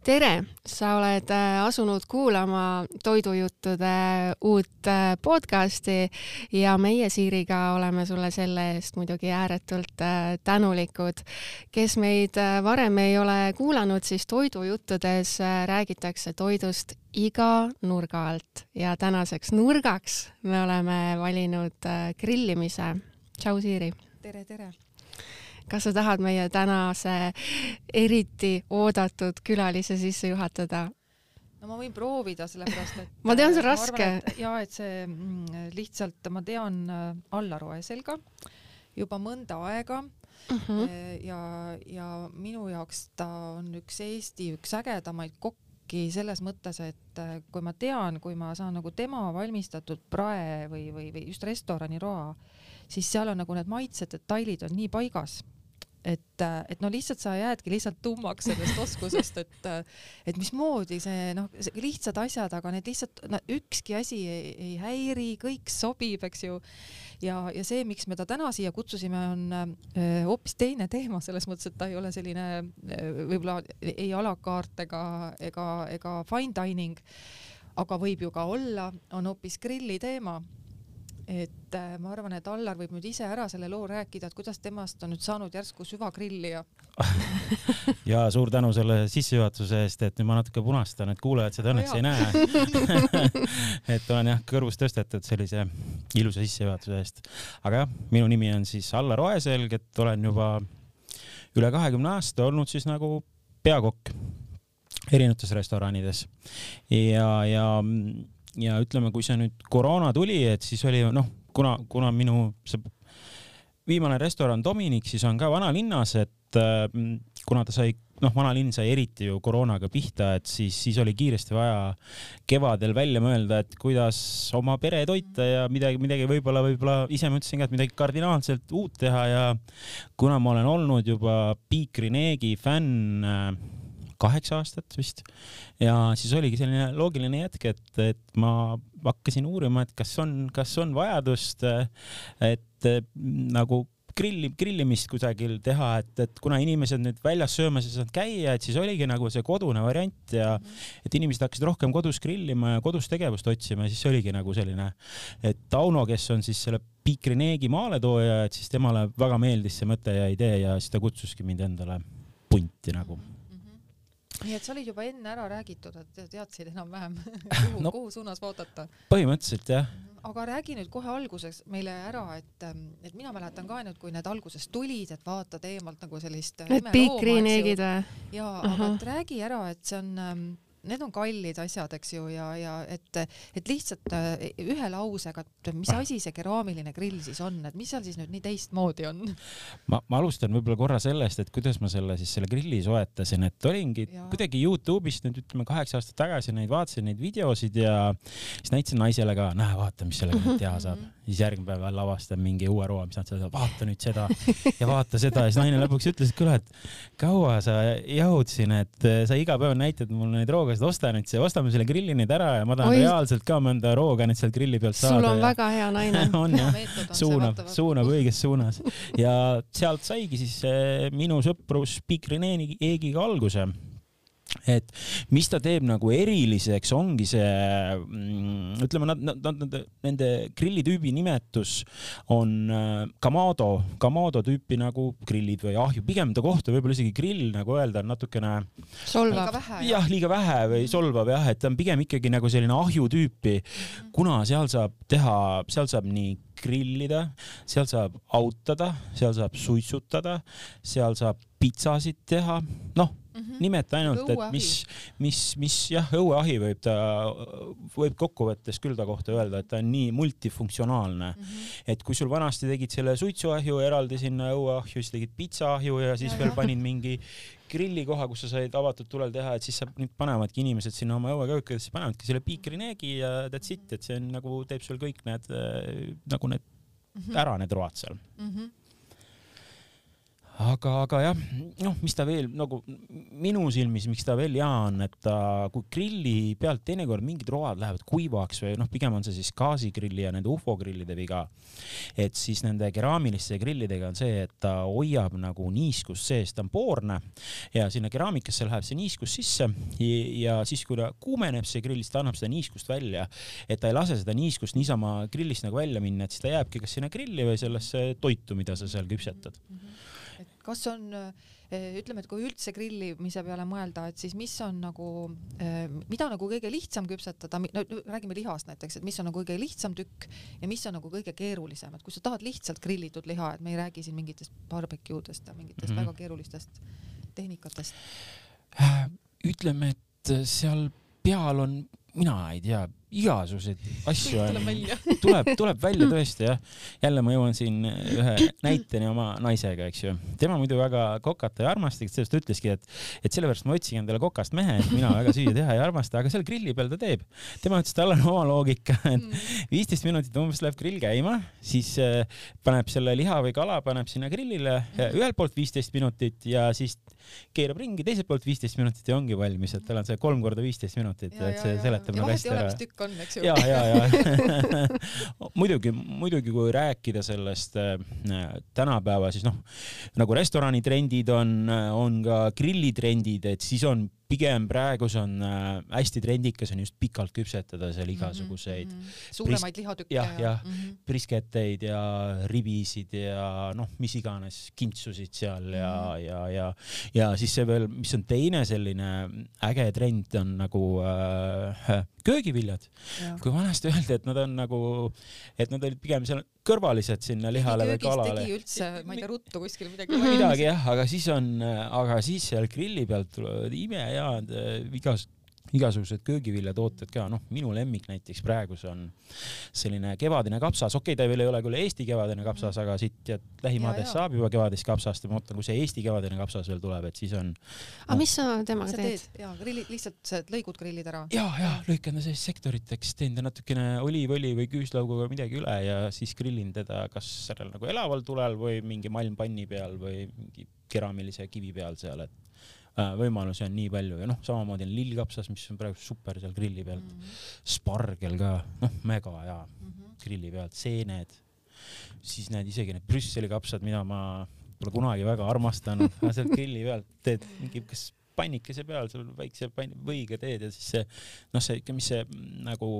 Tere! Sa oled asunud kuulama Toidujuttude uut podcasti ja meie Siiriga oleme sulle selle eest muidugi ääretult tänulikud. Kes meid varem ei ole kuulanud, siis Toidujuttudes räägitakse toidust iga nurga alt ja tänaseks nurgaks me oleme valinud grillimise. Tšau Siiri! Tere, tere! Kas sa tahad meie tänase eriti oodatud külalise sisse juhatada? No ma võin proovida, sellepärast, et ma tean, see on raske. Et see lihtsalt, ma tean Allar Oeselga juba mõnda aega ja minu jaoks ta on üks ägedamaid kokki selles mõttes, et kui ma tean, kui ma saan nagu tema valmistatud prae või just restoraniroa, siis seal on nagu need maitsed, detailid on nii paigas. Et no lihtsalt sa jäädki lihtsalt tummaks sellest oskusest, et mismoodi see lihtsad asjad, aga need lihtsalt ükski asi ei häiri, kõik sobib, eks ju. Ja see, miks me ta täna siia kutsusime, on hoopis teine teema selles mõttes, et ta ei ole selline võib-olla ei a la carte ega fine dining, aga võib ju ka olla, on hoopis grilli teema. Et ma arvan, et Allar võib nüüd ise ära selle loo rääkida, et kuidas temast on nüüd saanud järsku süvagrillija. Ja suur tänu selle sissejuhatuse eest, et nüüd ma natuke punastan, et kuulajad seda õnneks ei näe. Et olen kõrvus tõstetud sellise ilusa sissejuhatuse eest. Aga jah, minu nimi on siis Allar Oeselg, et olen juba üle 20 aasta olnud siis nagu peakokk erinevates restoranides. Ja ütleme, kui see nüüd koroona tuli, et siis oli, kuna minu viimane restoran Dominik siis on ka vanalinnas, et kuna ta sai, vanalinn sai eriti ju koroonaga pihta, et siis oli kiiresti vaja kevadel välja mõelda, et kuidas oma pere toita ja midagi võib-olla ise mõtlesin ka, et midagi kardinaalselt uut teha ja kuna ma olen olnud juba Piikri Neegi fänn 8 aastat vist. Ja siis oligi selline loogiline jätk, et ma hakkasin uurima, et kas on vajadust, et nagu grillimist kusagil teha, et kuna inimesed nüüd väljas söömas ei saanud käia, et siis oligi nagu see kodune variant ja et inimesed hakkasid rohkem kodus grillima ja kodus tegevust otsima ja siis oligi nagu selline, et Tauno, kes on siis selle Piikri Neegi maaletooja, et siis temale väga meeldis see mõte ja idee ja siis ta kutsuski mind endale punti nagu. Nii et sa olid juba enne ära räägitud, et teadsid enam-vähem, kuhu suunas vaadata. Põhimõtteliselt, jah. Aga räägi nüüd kohe alguses meile ära, et mina mäletan ka nüüd, kui need alguses tulid, et vaatad eemalt nagu sellist need Piikri-neegid või? Jaa, aga räägi ära, et see on... Need on kallid asjad, eks ju, ja et lihtsalt ühe lausega, mis asi see keraamiline grill siis on, et mis seal siis nüüd nii teistmoodi on? Ma alustan võib-olla korra sellest, et kuidas ma selle grilli soetasin, et olingi kuidagi YouTube'ist nüüd ütleme 8 aastat tagasi vaatasin neid videosid ja siis näitasin naisele ka, näe, vaata, mis sellega teha saab. Siis järgmine päev lavastan mingi uue roa, mis nad seda, vaata nüüd seda ja vaata seda ja siis naine lõpuks ütles, et küll, et kaua sa jahudsin, et sa iga päev näitad mulle neid roogasid, ostame selle grilli nüüd ära ja ma tahan reaalselt ka mõnda rooga nüüd seal grilli pealt saada. Sul on väga hea naine. On jah, suunab õiges suunas. Ja sealt saigi siis minu sõprus Piikri Neegiga alguse. Et mis ta teeb nagu eriliseks ongi see, ütleme, nende grillitüübi nimetus on Kamado tüüpi nagu grillid või ahju, pigem ta kohta võib-olla isegi grill, nagu öelda, natukene solvab. Liiga vähe või solvab jah, et ta on pigem ikkagi nagu selline ahju tüüpi, kuna seal saab nii grillida, seal saab autada, seal saab suitsutada, seal saab pitsasid teha, nimeta ainult, et mis jah, õueahi võib kokkuvõttes küll ta kohta öelda, et ta on nii multifunktsionaalne. Et kui sul vanasti tegid selle suitsuahju, eraldi sinna õueahju, siis tegid pitsaahju ja siis veel panid mingi grillikoha, kus sa said avatud tulel teha, et siis nüüd panevadki inimesed sinna oma õueköökidesse, panevadki selle Piikri Neegi ja that's it, et see on nagu teeb sul kõik need ära need road seal. aga jah, noh, mis ta veel nagu minu silmis, miks ta veel hea on, et ta, kui grilli pealt teinekord mingid road lähevad kuivaks või noh, pigem on see siis gaasigrilli ja nende UFO grillide viga, et siis nende keraamiliste grillidega on see, et ta hoiab nagu niiskust sees, ta on poorne ja sinna keraamikasse läheb see niiskus sisse ja siis, kui ta kuumeneb see grill, siis ta annab seda niiskust välja, et ta ei lase seda niiskust niisama grillist nagu välja minna, et siis ta jääbki kas sinna grilli või sellesse toitu, mida sa seal küpsetad. Et kas on, ütleme, et kui üldse grillimise peale mõelda, et siis mis on nagu, mida nagu kõige lihtsam küpsetada, no räägime lihast näiteks, et mis on nagu kõige lihtsam tükk ja mis on nagu kõige keerulisem, et kui sa tahad lihtsalt grillitud liha, et me ei räägi siin mingitest barbecuedest ja mingitest väga keerulistest tehnikatest. Ütleme, et seal peal on, mina ei tea, igasuguseid asju tuleb välja tõesti jah. Jälle ma jõuan siin ühe näiteni oma naisega, eks ju. Tema muidu väga kokata ja armastik, sellest ütleski, et sellepärast ma otsigi endale kokast mehe, et mina väga süüa teha ja armasta, aga seal grilli peal ta teeb. Tema ütles, tal on oma loogika, et 15 minutit umbes läheb grill käima, siis paneb selle liha või kala, paneb sinna grillile ühelt poolt 15 minutit ja siis keerab ringi, teiselt poolt 15 minutit ja ongi valmis, et tal on see 3 korda 15 minutit, et see seletab nagu hästi ära. On, eks ju. Ja. muidugi, kui rääkida sellest tänapäeva, siis noh, nagu restoranitrendid on ka grillitrendid, et siis on pigem praegus on hästi trendikas on just pikalt küpsetada seal igasuguseid suuremaid lihatükke ja brisketteid ja ribisid ja noh, mis iganes kintsusid seal ja siis see veel, mis on teine selline äge trend on nagu köögiviljad. Kui vanasti öeldi, et nad on nagu, et nad olid pigem seal kõrvalised sinna lihale või kalale. Tegi üldse, ma ei tea, ruttu kuskil midagi jah, aga siis seal grilli pealt tulevad imehead igasugused köögiviljatooted ka, noh, minu lemmik näiteks praegus on selline kevadine kapsas, ta veel ei ole küll Eesti kevadine kapsas, aga siit lähimaades saab juba kevadist kapsast ja ma mõtlen, kui see Eesti kevadine kapsas veel tuleb, et siis on Aga mis sa temaga teed? Lihtsalt lõigud grillid ära? Ja, lõikan ta sellist sektoriteks, teen ta natukene oliivõli või küüslauguga midagi üle ja siis grillin teda kas sellel nagu elaval tulel või mingi malmpanni peal või mingi keraamilise kivi peal seal, et võimalusi on nii palju ja noh, samamoodi on lillkapsas, mis on praegu super seal grilli pealt, spargel ka, noh, mega hea grilli pealt, seened, siis need isegi need Brüsseli kapsad, mida ma pole kunagi väga armastanud, sealt grilli pealt teed mingi kas pannikese peal, sul väikse võiga teed ja siis see, noh, see ikka, mis see nagu,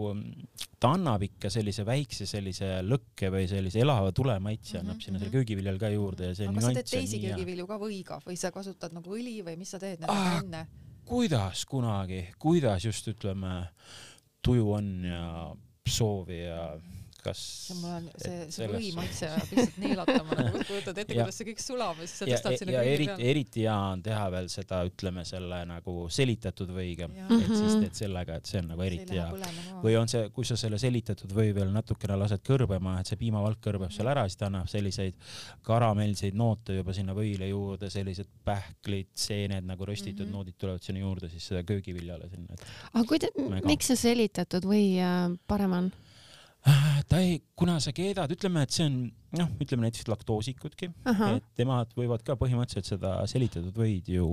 ta annab ikka sellise väikse sellise lõkke või sellise elava tulemaitse annab sinna selle köögiviljal ka juurde ja see aga sa teed teisi köögivilju ka võiga või sa kasutad nagu õli või mis sa teed enne? Kuidas kunagi, kuidas just ütleme tuju on ja soovi ja kas see või maitse lihtsalt neelatama, nagu kujutad ette, kuidas see kõik sulab ja siis sa tõstad sinna kõigi peale. Eriti hea on teha veel seda, ütleme selle nagu selitatud võiga, et siis teed sellega, et see on nagu eriti hea. Või on see, kui sa selle selitatud või veel natukene lased kõrbema, et see piimavalk kõrbeb seal ära, siis ta annab selliseid karamelseid noote juba sinna võile juurde, sellised pähklid, seened nagu röstitud noodid tulevad sinna juurde, siis seda köögiviljale sinna. Aga miks see selitatud või parem on? Kuna sa keedad, ütleme, et see on, noh, ütleme näiteks laktoosikudki, et temad võivad ka põhimõtteliselt seda selitatud võid ju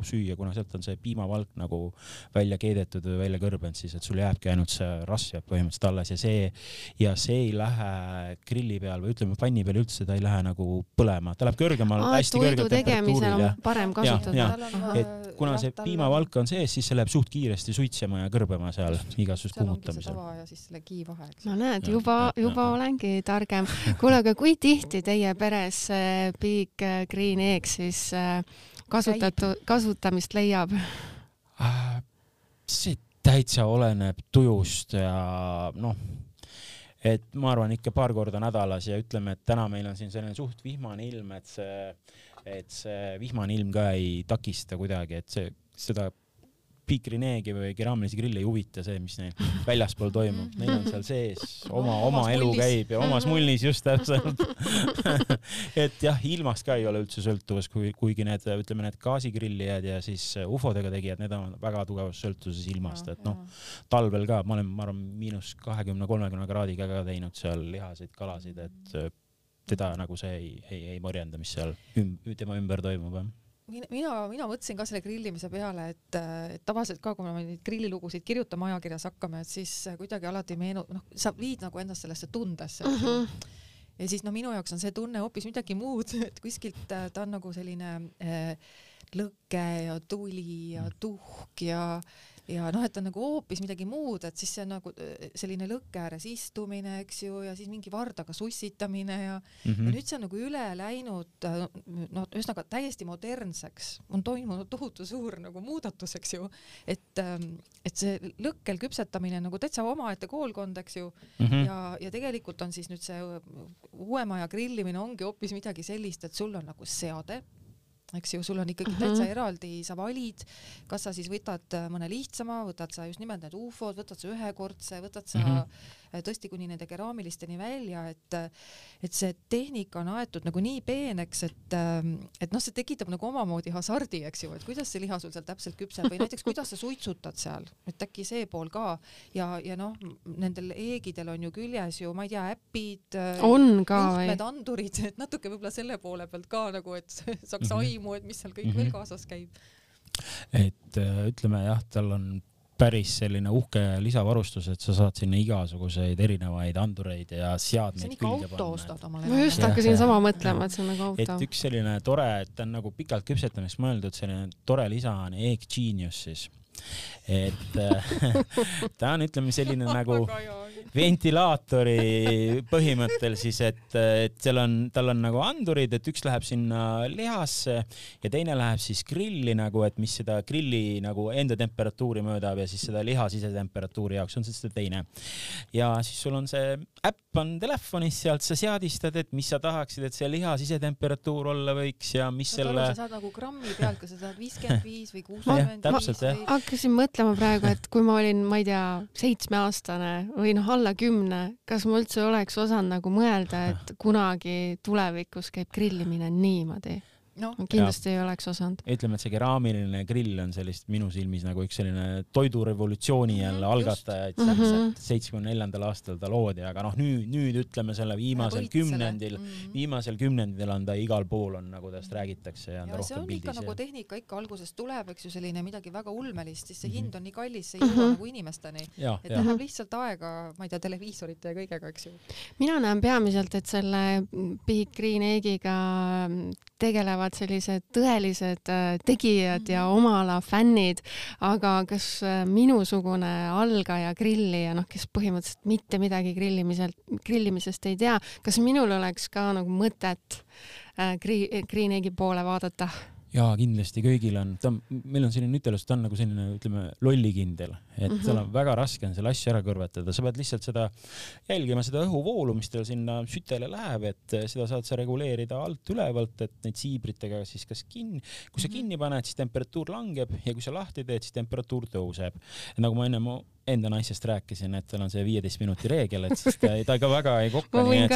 süüa, kuna sealt on see piimavalk nagu välja keedetud või välja kõrbenud, siis et sul jääbki ainult see rasv jääb põhimõtteliselt alles ja see ei lähe grilli peal või ütleme panni peal üldse, ta ei lähe nagu põlema, ta läheb kõrgemal, hästi kõrgel temperatuuril. Parem kasutada. Et kuna see piimavalk on sees, siis see läheb suht kiiresti suitsema ja kõrbema seal igasugust kuumutamisel. Ja siis selle kiivahe, eks. No näed, juba olengi targem. Kuule, aga kui tihti teie peres Big Green Eggs siis kasutamist leiab? See täitsa oleneb tujust ja noh, et ma arvan ikka paar korda nädalas ja ütleme, et täna meil on siin selline suht vihmane ilm, et see vihmane ilm ka ei takista kuidagi, et seda Big Green Eggi või keraamilisi grille ei huvita see, mis neil väljaspool toimub. Neil on seal sees oma elu käib ja omas mullis just täpselt. Et jah, ilmast ka ei ole üldse sõltuvus, kuigi need, ütleme, need gaasigrillijad ja siis ufodega tegijad, need on väga tugevas sõltuvuses ilmast, et noh, talvel ka, ma olen -20-30 kraadiga ka teinud seal lihasid, kalasid, et teda nagu see ei morjenda, mis seal tema ümber toimub. mina mõtlesin ka selle grillimise peale, et tavaliselt ka, kui me neid grillilugusid kirjutame ajakirjas hakkame, et siis kuidagi alati sa viid nagu ennast sellesse tundesse. Ja siis minu jaoks on see tunne hoopis midagi muud, et kuskilt ta on nagu selline lõke ja tuli ja tuhk ja et ta on nagu hoopis midagi muud, et siis see on nagu selline lõkke ääres istumine, eks ju, ja siis mingi vardaga sussitamine ja nüüd see on nagu üle läinud, ühesõnaga täiesti modernseks, on toimunud tohutu suur nagu muudatus, eks ju, et see lõkkel küpsetamine nagu täitsa omaette koolkond, eks ju, ja tegelikult on siis nüüd see uuema aja grillimine ongi hoopis midagi sellist, et sul on nagu seade, eks ju, sul on ikkagi täitsa eraldi, sa valid, kas sa siis võtad mõne lihtsama, võtad sa just nimelt need UFO-d, võtad sa ühekordse, võtad sa tõesti kuni nende keraamilisteni välja, et see tehnika on aetud nagu nii peeneks, et see tekitab nagu omamoodi hasardi, eks ju, et kuidas see liha sul seal täpselt küpseb või näiteks kuidas sa suitsutad seal, et äkki see pool ka ja nendel eegidel on ju küljes ju, ma ei tea, äpid, juhtmed, andurid, et natuke võib-olla selle poole pealt ka nagu, et saaks aimu, et mis seal kõik veel kaasas käib. Et ütleme jah, tal on päris selline uhke lisavarustus, et sa saad sinna igasuguseid erinevaid andureid ja seadmeid külge panna. Ma just hakkasin sama mõtlema, et see on nagu auto. Et üks selline tore, et ta on nagu pikalt küpsetamiseks mõeldud, selline tore lisa on Egg Genius siis. Et ta on, ütleme, selline nagu ventilaatori põhimõttel siis, et tal on nagu andurid, et üks läheb sinna lihasse ja teine läheb siis grilli nagu, et mis seda grilli nagu enda temperatuuri möödab ja siis seda liha sisetemperatuuri jaoks on see teine. Ja siis sul on see äpp on telefonis, sealt sa seadistad, et mis sa tahaksid, et see liha sisetemperatuur olla võiks ja mis selle... Sa saad nagu grammi pealt, kui sa saad 55 või 65. Hakkasin mõtlema praegu, et kui ma olin, ma ei tea, 7-aastane või alla 10, kas ma üldse oleks osanud nagu mõelda, et kunagi tulevikus käib grillimine niimoodi? Kindlasti ei oleks osanud. Ütleme, et see keraamiline grill on sellist minu silmis nagu üks selline toidurevolutsiooni jälle algatajaid. 74. aastal ta loodi, aga nüüd ütleme selle viimasel kümnendil on ta igal pool on nagu tast räägitakse ja see on ikka nagu tehnika ikka algusest tuleb, eks ju, selline midagi väga ulmelist, siis see hind on nii kallis, see ei jõua nagu inimesteni. Et läheb lihtsalt aega, ma ei tea, televiisorite ja kõigega, eks ju. Mina näen peamiselt, et selle Big Green Eggiga tegelevad sellised tõelised tegijad ja omala fännid, aga kas minusugune algaja grillija, kes põhimõtteliselt mitte midagi grillimisest ei tea, kas minul oleks ka nagu mõtet Green Eggi poole vaadata? Jaa, kindlasti kõigil on, meil on selline ütelus, ta on nagu selline, ütleme, lollikindel, et tal on väga raske on selle asju ära kõrvetada, sa pead lihtsalt seda jälgima, seda õhuvoolu, mis teil sinna sütele läheb, et seda saad sa reguleerida alt ülevalt, et neid siibritega siis kas kui sa kinni paned, siis temperatuur langeb ja kui sa lahti teed, siis temperatuur tõuseb. Nagu ma enda naisest rääkisin, et tal on see 15 minuti reegel, et siis ta ka väga ei kokka, nii et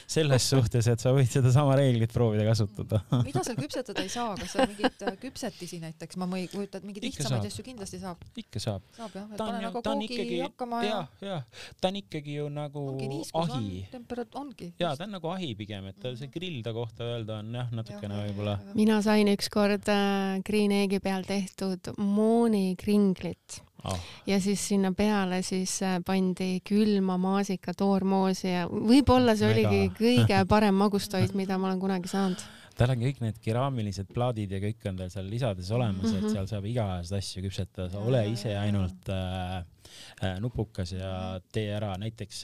selles suhtes, et sa võid seda sama reeglit proovida kasutada. Mida seal küpsetada ei saa? Kas seal mingid küpsetisi näiteks? Ma ei kujuta, et mingid lihtsamaid asju kindlasti saab. Ikka saab. Saab jah, et pane nagu koogi hakkama ja... Ta on ikkagi ju nagu ahi. Ongi. Jaa, ta on nagu ahi pigem, et see grill ta kohta öelda on natukene võib-olla. Mina sain ükskord Green Eggi peal tehtud moonikringlit. Ja siis sinna peale siis pandi külma maasika toormoosi ja võib-olla see oligi kõige parem magustoit, mida ma olen kunagi saanud. Tal on kõik need keraamilised plaadid ja kõik on tal seal lisades olemas, et seal saab igast asju küpsetada, sa ole ise ainult nupukas ja tee ära. Näiteks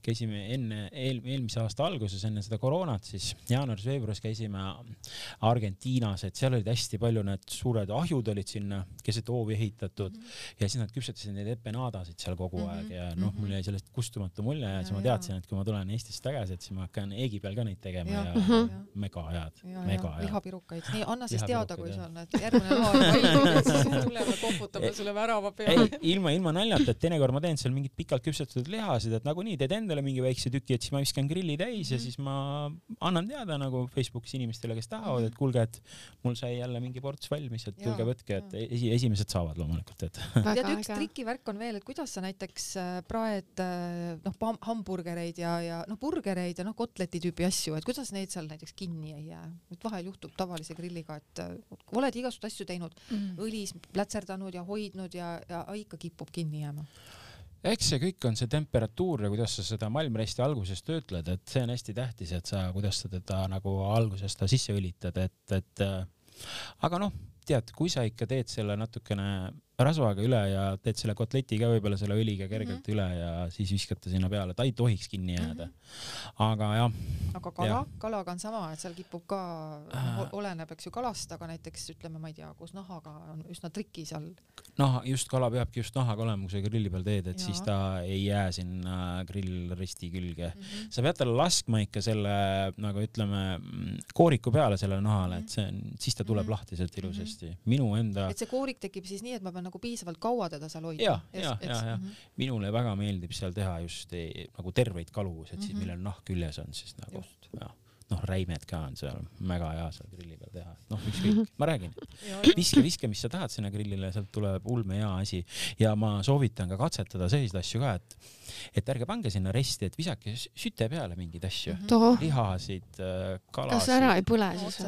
käisime eelmise aasta alguses, enne seda koroonat, siis jaanuaris-veebruaris käisime Argentiinas, et seal olid hästi palju need suured ahjud olid sinna keset hoovi ehitatud ja siis nad küpsetasid neid empanadasid seal kogu aeg ja mul jäi sellest kustumatu mulje ja siis ma teadsin, et kui ma tulen Eestist tagasi, et siis ma hakkan Eegi peal ka neid tegema ja mega head. mega hea. Lihapirukaid. Nii, anna siis teada, kui sul need järgmine loa valmib, siis tuleme koputame sulle värava peale. Ilma naljata, et teinekord ma teen seal mingid pikalt küpsetatud lihasid, et nagunii teed endale mingi väikse tüki, et siis ma viskan grilli täis ja siis ma annan teada nagu Facebookis inimestele, kes tahavad, et kuulge, et mul sai jälle mingi ports valmis, et tulge võtke, et esimesed saavad loomulikult. Tead, üks trikivärk on veel, et kuidas sa näiteks praed hamburgereid ja burgereid ja kotleti tüüpi asju, et kuidas neid seal näiteks kinni ei jää. Et vahel juhtub tavalise grilliga, et oled igast asju teinud, õlis plätserdanud ja hoidnud ja ikka kipub kinni jääma. Eks see kõik on see temperatuur ja kuidas sa seda malmresti alguses töötled, et see on hästi tähtis, et sa, kuidas sa teda nagu alguses ta sisse õlitad, et aga tead, kui sa ikka teed selle natukene rasvaga üle ja teed selle kotleti ka võib-olla selle õliga kergelt üle ja siis viskate sinna peale, ta ei tohiks kinni jääda. Aga jah. Aga kalaga on sama, et seal kipub ka, oleneb eks ju kalast, aga näiteks ütleme, ma ei tea, kus nahaga on üsna triki seal. Just kala peabki just nahaga olema, kui sa grilli peal teed, et siis ta ei jää sinna grillristi külge. Sa pead talle laskma ikka selle, nagu ütleme, kooriku peale selle nahale, et siis ta tuleb lahti sealt ilusasti. Minu enda... Et see koorik tekib siis nii, et ma pean nagu piisavalt kaua teda seal hoida. Ja. Minule väga meeldib seal teha just nagu terveid kalu, et siis millel nahk küljes on, siis nagu räimed ka on seal väga hea seal grilli peal teha. Ükskõik, ma räägin. Viske, mis sa tahad sinna grillile, sealt tuleb ulme hea asi. Ja ma soovitan ka katsetada selliseid asju ka, et ärge pange sinna resti, et visake süte peale mingid asju. Lihasid, kalasid. Kas ära ei põle siis?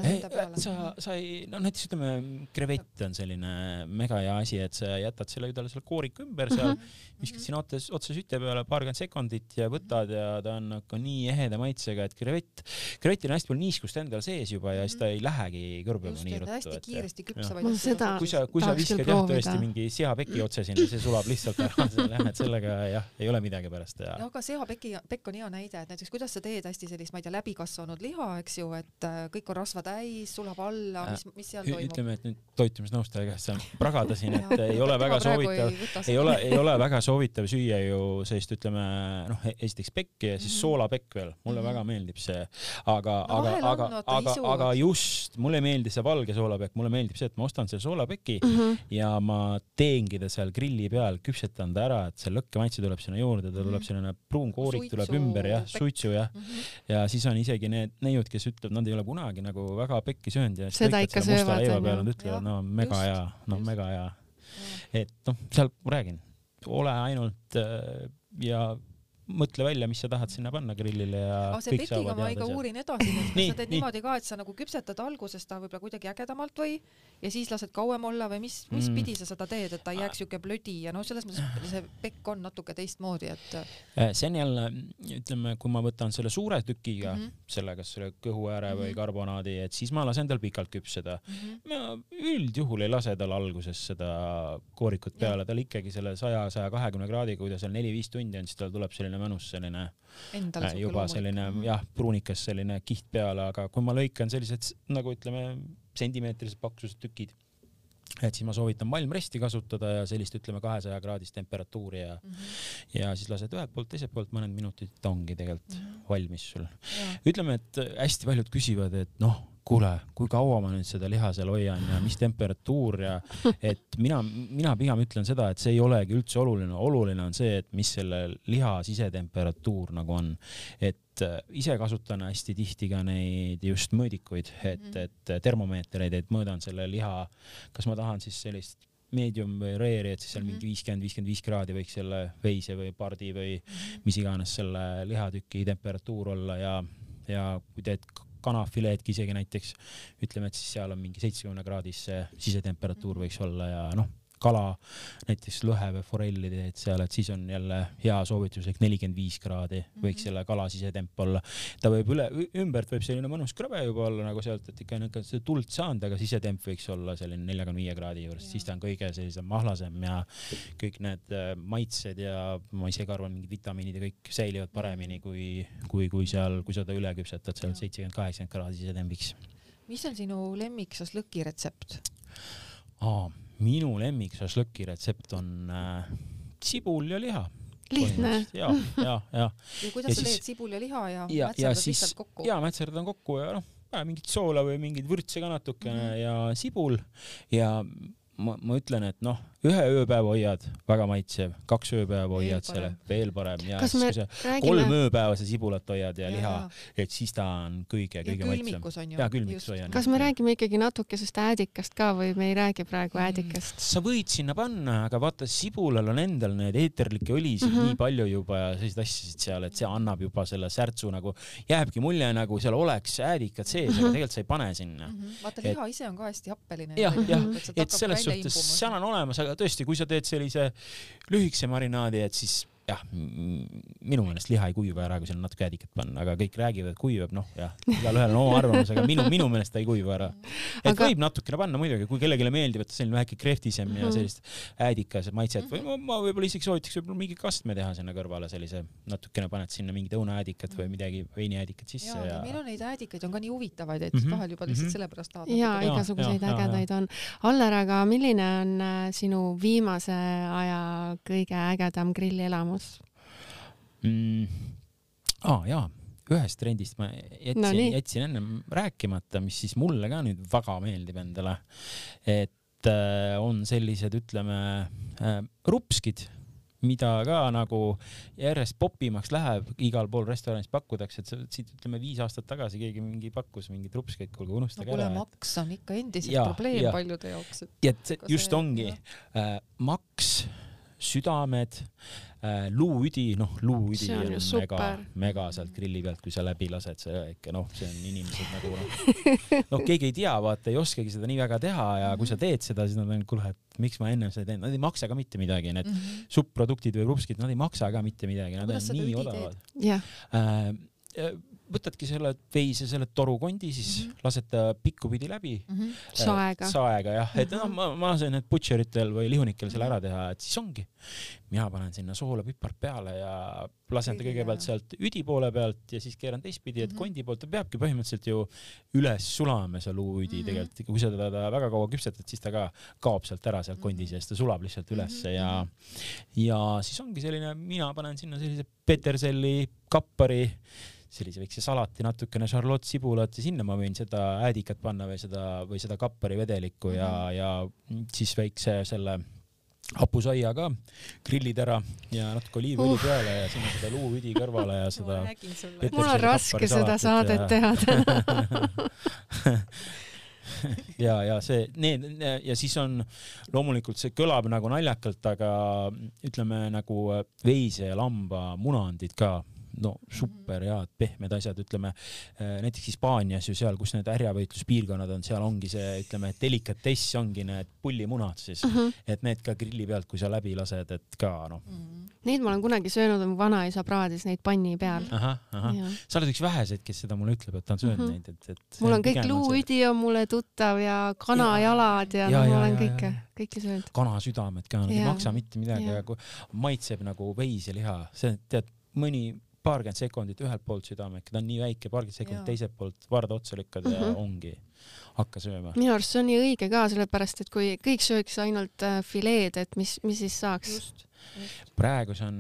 Sa ei, näiteks ütleme, krevett on selline mega hea asi, et sa jätad selle kooriku ümber seal, viskad sinna otse süte peale 20 sekundit ja võtad ja ta on nagu nii eheda maitsega, et krevetil on hästi palju niiskust endal sees juba ja siis ta ei lähegi kõrbema nii ruttu. Hästi kiiresti küpsavaid. Kui sa viskad tõesti mingi seapeki otse sinna, see sulab lihtsalt ära, et sellega ei ole midagi pärast. Aga seapekk on hea näide, et näiteks kuidas sa teed hästi sellist, ma ei tea, läbikasvanud liha, eks ju, et kõik on rasva täis, sulab alla, mis seal toimub? Ütleme, et nüüd toitumisnõustaja käest saan pragadasin, et ei ole väga soovitav süüa ju sellist, ütleme, esiteks pekki ja siis soolapekk veel. Mulle väga meeldib see. Aga just, mulle meeldib see valge soolapekk, mulle meeldib see, et ma ostan selle soolapeki ja ma teengi ta seal grilli peal, küpsetan ta ära, et see lõkkemaitse tuleb sinna juurde, ta tuleb selline pruun koorik tuleb ümber ja suitsu ja siis on isegi need neiud, kes ütleb, nad ei ole kunagi nagu väga pekki söönud ja seda ikka söövad. Nad ütlevad, mega hea. Et seal räägin, ole ainult ja mõtle välja, mis sa tahad sinna panna grillile ja see kõik saavad teada. Ma uurin edasi, et sa teed niimoodi ka, et sa nagu küpsetad alguses ta võib-olla kuidagi ägedamalt või ja siis lased kauem olla või mis pidi sa seda teed, et ta ei jääks siuke blödi ja selles mõttes see pekk on natuke teistmoodi, et see on jälle, ütleme, kui ma võtan selle suure tükiga, selle kas selle kõhuääre või karbonaadi, et siis ma lasen tal pikalt küpseda. Ma üldjuhul ei lase tal alguses seda koorikut peale, tal ikkagi selle 100-120 kraadiga, kui ta seal 4-5 tundi on, siis tal tuleb selline mõnus selline juba selline pruunikas selline kiht peale, aga kui ma lõikan sellised nagu ütleme sentimeetrised paksused tükid, et siis ma soovitan malmresti kasutada ja sellist ütleme 200 kraadist temperatuuri ja siis lased ühelt poolt, teiselt poolt mõned minutid, ta ongi tegelikult valmis sul. Ütleme, et hästi paljud küsivad, et kuule, kui kaua ma nüüd seda liha seal hoian ja mis temperatuur ja et mina pigem ütlen seda, et see ei olegi üldse oluline. Oluline on see, et mis selle liha sisetemperatuur nagu on. Et ise kasutan hästi tihti ka neid just mõõdikuid, et termomeetreid, et mõõdan selle liha, kas ma tahan siis sellist medium või rare'i, et siis seal mingi 50-55 kraadi võiks selle veise või pardi või mis iganes selle lihatüki temperatuur olla ja kui teed kanafileedki isegi näiteks, ütleme, et siis seal on mingi 70 kraadis see sisetemperatuur võiks olla ja kala, näiteks lõhe või forelli teed seal, et siis on jälle hea soovituslik 45 kraadi võiks selle kala sisetemp olla. Ta võib ümbert võib selline mõnus krõbe juba olla nagu sealt, et ikka see tuld saanud, aga sisetemp võiks olla selline 45 kraadi juures, siis ta on kõige sellisem mahlasem ja kõik need maitsed ja ma isegi arvan, mingid vitamiinid ja kõik säilivad paremini kui seal, kui sa ta üle küpsetad seal 70-80 kraadi sisetempiks. Mis on sinu lemmik šašlõki retsept? Minu lemmik šašlõki retsept on sibul ja liha. Lihtne. Ja kuidas sa teed sibul ja liha ja mätserdad lihtsalt kokku? Ja mätserdan kokku ja mingit soola või mingit vürtse ka natukene ja sibul ja ma ütlen, et noh, 1 ööpäeva hoiad, väga maitsev, 2 ööpäeva hoiad selle, veel parem ja siis kui sa 3 ööpäeva see sibulat hoiad ja liha, et siis ta on kõige maitsevam. Ja külmikus hoian. Kas me räägime ikkagi natukesest äädikast ka või me ei räägi praegu äädikast? Sa võid sinna panna, aga vaata, sibulal on endal need eeterlikke õlisid nii palju juba ja sellised asjasid seal, et see annab juba selle särtsu nagu, jääbki mulje nagu seal oleks äädikad sees, aga tegelikult sa ei pane sinna. Vaata, liha ise on ka hästi happeline. Jah, et selles suhtes seal on olemas, aga tõesti, kui sa teed sellise lühikese marinaadi, et siis jah, minu meelest liha ei kuiva ära, kui sinna natuke äädikat panna, aga kõik räägivad, et kuivab, noh jah, igalühel on oma arvamus, aga minu meelest ta ei kuiva ära. Et võib natukene panna muidugi, kui kellegile meeldib, et selline väike krehtisem ja sellist äädikas maitset või ma võib-olla isegi soovitaks võib-olla mingi kastme teha sinna kõrvale, sellise natukene paned sinna mingid õunaäädikat või midagi veiniäädikat sisse. Ja meil on neid äädikaid on ka nii huvitavaid, et vahel juba lihtsalt sellepärast tahad. Ja igasuguseid ägedaid on. Aller, aga milline on sinu viimase aja kõige ägedam grillielamus? Jaa, ühest trendist ma jätsin enne rääkimata, mis siis mulle ka nüüd väga meeldib endale, et on sellised, ütleme, rupskid, mida ka nagu järjest popimaks läheb, igal pool restoranis pakutakse, et siit ütleme 5 aastat tagasi keegi mingi pakkus mingid rupskeid, kuulge, unustage ära. Maks on ikka endiselt probleem paljude jaoks. Et just ongi maks, südamed, luuüdi, luuüdi on mega sealt grilli pealt, kui sa läbi lased, see ikka see on inimesed nagu keegi ei tea, vaata, ei oskagi seda nii väga teha ja kui sa teed seda, siis nad on, kuule, et miks ma enne seda teen, nad ei maksa ka mitte midagi, need subproduktid või rupskid, nad ei maksa ka mitte midagi, nad on nii odavad. Võtadki selle veise, selle torukondi, siis lased ta pikkupidi läbi. Saega, jah. Et ma sain need butcheritel või lihunikel selle ära teha, et siis ongi. Mina panen sinna soola, pipart peale ja lasen ta kõigepealt sealt üdi poole pealt ja siis keeran teistpidi, et kondi poolt ta peabki põhimõtteliselt ju üles sulama see luuüdi tegelikult. Kui sa teda väga kaua küpsetad, siis ta ka kaob sealt ära sealt kondi sees, ta sulab lihtsalt ülesse ja siis ongi selline, mina panen sinna sellise peterselli, kappari, sellise väikse salati, natukene Charlotte sibulat ja sinna ma võin seda äädikat panna või seda kappari vedelikku ja siis väikse selle hapusaia ka, grillid ära ja natuke oliivõli peale ja sinna seda luuüdi kõrvale ja seda mul on raske seda saadet teha ja siis on loomulikult see kõlab nagu naljakalt, aga ütleme nagu veise ja lamba munandid ka, super head, pehmed asjad, ütleme näiteks Hispaanias ju seal, kus need härjavõitluspiirkonnad on, seal ongi see, ütleme, delikatess ongi need pullimunad siis, et need ka grilli pealt, kui sa läbi lased, et ka Neid ma olen kunagi söönud, mu vanaisa praadis neid panni peal. Sa oled üks väheseid, kes seda mulle ütleb, et ta on söönud neid. Mul on kõik luuüdi on mulle tuttav ja kanajalad ja ma olen kõike söönud. Kanasüdamed ka, ei maksa mitte midagi, aga maitseb nagu veiseliha, see tead mõni paarkümmend sekundit ühelt poolt südamek, ta on nii väike, paarkümmend sekundit teiselt poolt varda otsa lükkad ja ongi, hakka sööma. Minu arust see on nii õige ka, sellepärast, et kui kõik sööks ainult fileed, et mis siis saaks? Praegu see on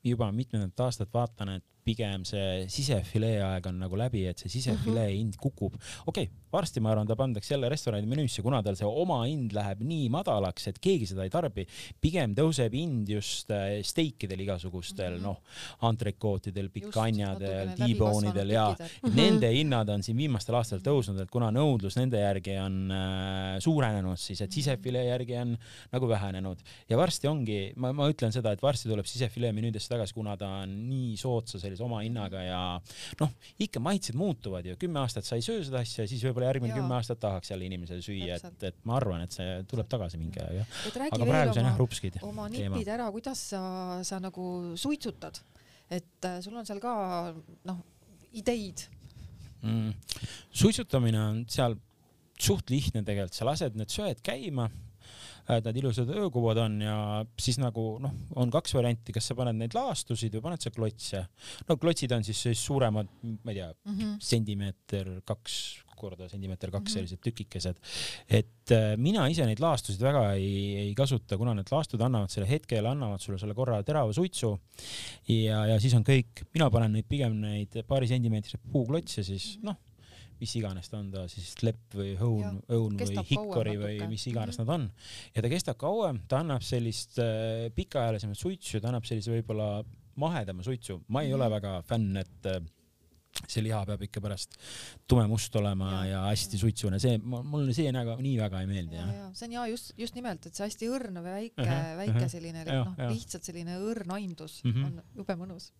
juba mitmendat aastat vaatan, et pigem see sisefilee aeg on nagu läbi, et see sisefilee hind kukub. Okei, varsti ma arvan, ta pandaks jälle restorani menüüsse, kuna tal see oma hind läheb nii madalaks, et keegi seda ei tarbi. Pigem tõuseb hind just steikidel igasugustel, antrekootidel, pikanjadel, T-boneidel ja nende hinnad on siin viimastel aastal tõusnud, et kuna nõudlus nende järgi on suurenenud, siis et sisefilee järgi on nagu vähenenud. Ja varsti ongi, ma ütlen seda, et varsti tuleb sisefilee menüüdesse tagasi, kuna ta on nii soodsa oma hinnaga ja ikka maitsed muutuvad ju. 10 aastat sa ei söö seda asja ja siis võib-olla järgmine 10 aastat tahaks jälle inimesel süüa, et ma arvan, et see tuleb tagasi mingi aja. Aga praegu see on rupskid. Oma nipid ära, kuidas sa nagu suitsutad, et sul on seal ka ideid? Suitsutamine on seal suht lihtne tegelikult, sa lased need söed käima, need ilusad öökuvad on ja siis nagu on 2 varianti, kas sa paned neid laastusid või paned sa klotse. Klotsid on siis suuremad, ma ei tea, sentimeeter 2 korda sentimeeter 2 sellised tükikesed. Et mina ise neid laastusid väga ei kasuta, kuna need laastud annavad selle hetkel, annavad sulle selle korra terava suitsu ja siis on kõik, mina panen neid pigem neid paari sentimeetrise puuklotse siis mis iganes ta on, ta siis lepp või õun või hikkori või mis iganes nad on. Ja ta kestab kauem, ta annab sellist pikaajalisemat suitsu, ta annab sellise võib-olla mahedama suitsu. Ma ei ole väga fänn, et see liha peab ikka pärast tumemust olema ja hästi suitsune. Mulle see nii väga ei meeldi. Ja. See on just nimelt, et see hästi õrn või väike selline, lihtsalt selline õrn aimdus on jube mõnus.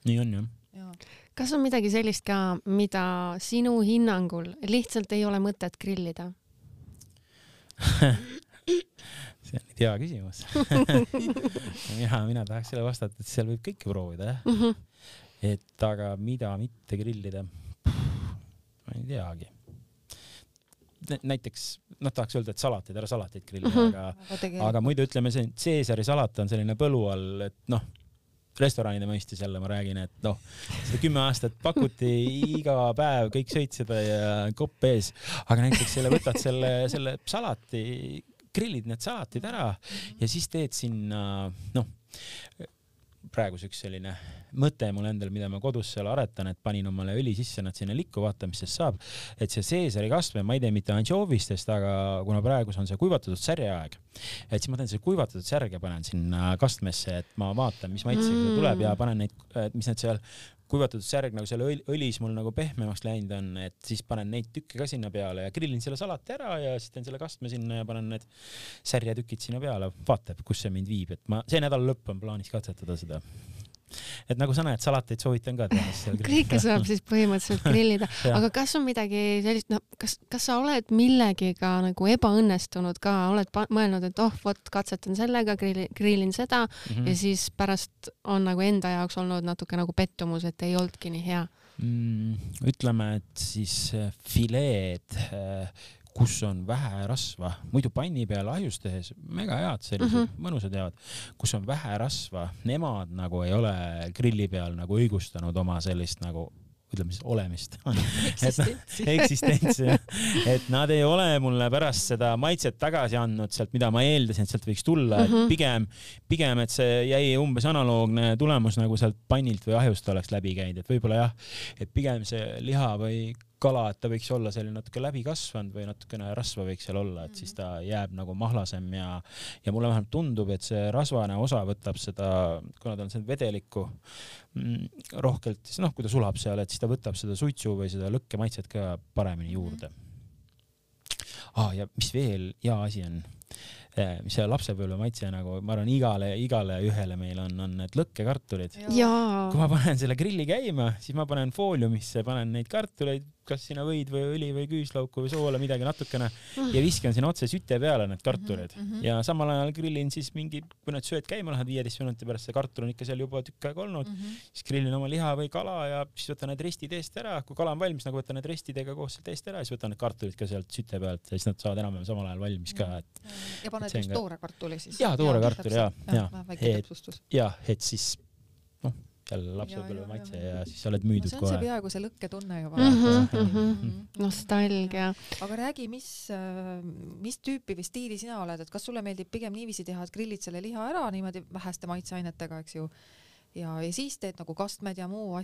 Nii on, jah. Ja. Kas on midagi sellist ka, mida sinu hinnangul lihtsalt ei ole mõtet grillida? See on hea küsimus. Mina tahaks selle vastata, et seal võib kõike proovida, jah. Et aga mida mitte grillida? Ma ei teagi. Näiteks, tahaks öelda, et ära salateid grillida, aga muidu ütleme, see Caesari salat on selline põlu all, et restoranide mõistis jälle ma räägin, et seda 10 aastat pakuti iga päev, kõik sõid seda ja kopp ees, aga näiteks võtad selle salati, grillid need salatid ära ja siis teed sinna, praegu üks selline mõte mul endal, mida ma kodus seal aretan, et panin omale õli sisse, nad sinna likku, vaata, mis sest saab. Et see Caesari kastme, ma ei tee mitte anchoovistest, aga kuna praegu on see kuivatatud särjeaeg, et siis ma teen see kuivatatud särge, panen sinna kastmesse, et ma vaatan, mis maitsega see tuleb ja panen neid, mis need seal kuivatatud särg nagu selle õlis mul nagu pehmemaks läinud on, et siis panen neid tükke ka sinna peale ja grillin selle salati ära ja siis teen selle kastme sinna ja panen need särjetükid sinna peale. Vaatab, kus see mind viib, et see nädal lõpp on plaanis katsetada seda. Et nagu sa näed, salateid soovitan ka teha. Kõike saab siis põhimõtteliselt grillida. Aga kas on midagi sellist, kas sa oled millegiga nagu ebaõnnestunud ka, oled mõelnud, et katsetan sellega, grillin seda ja siis pärast on nagu enda jaoks olnud natuke nagu pettumus, et ei oldki nii hea? Ütleme, et siis fileed, kus on vähe rasva, muidu panni peal ahjus tehes, mega head, sellised mõnusad head, kus on vähe rasva, nemad nagu ei ole grilli peal nagu õigustanud oma sellist nagu, ütleme siis olemist. Eksistentsi. Et nad ei ole mulle pärast seda maitset tagasi andnud sealt, mida ma eeldasin, et sealt võiks tulla, et pigem, et see jäi umbes analoogne tulemus nagu sealt pannilt või ahjust oleks läbi käinud, et võib-olla jah, et pigem see liha või kala, et ta võiks olla selline natuke läbi kasvanud või natukene rasva võiks seal olla, et siis ta jääb nagu mahlasem ja mulle vähemalt tundub, et see rasvane osa võtab seda, kuna ta on see vedelikku rohkelt, siis kui ta sulab seal, et siis ta võtab seda suitsu või seda lõkke maitset ka paremini juurde. Ja mis veel hea asi on, mis see lapsepõlve maitse nagu, ma arvan, igale ühele meil on need lõkkekartulid. Kui ma panen selle grilli käima, siis ma panen fooliumisse, panen neid kartuleid, kas sinna võid või õli või küüslauku või soola, midagi natukene ja viskan sinna otse süte peale need kartulid. Ja samal ajal grillin siis kui need sööd käima lähevad 15 minuti pärast, see kartul on ikka seal juba tükk aega olnud, siis grillin oma liha või kala ja siis võtan need restid eest ära. Kui kala on valmis, nagu võtan need restidega koos sealt eest ära, siis võtan need kartulid ka sealt süte pealt ja siis nad saavad enam samal ajal valmis ka. Ja paned just toore kartuli siis? Jaa, toore kartuli, väike täpsustus. Jah, et siis jälle lapsepõlve maitse ja siis sa oled müüdud kohe. See on see peaaegu see lõkketunne juba. Nostalgia. Aga räägi, mis tüüpi või stiili sina oled, et kas sulle meeldib pigem niiviisi teha, et grillid selle liha ära niimoodi väheste maitseainetega, eks ju, ja siis teed nagu kastmed ja muud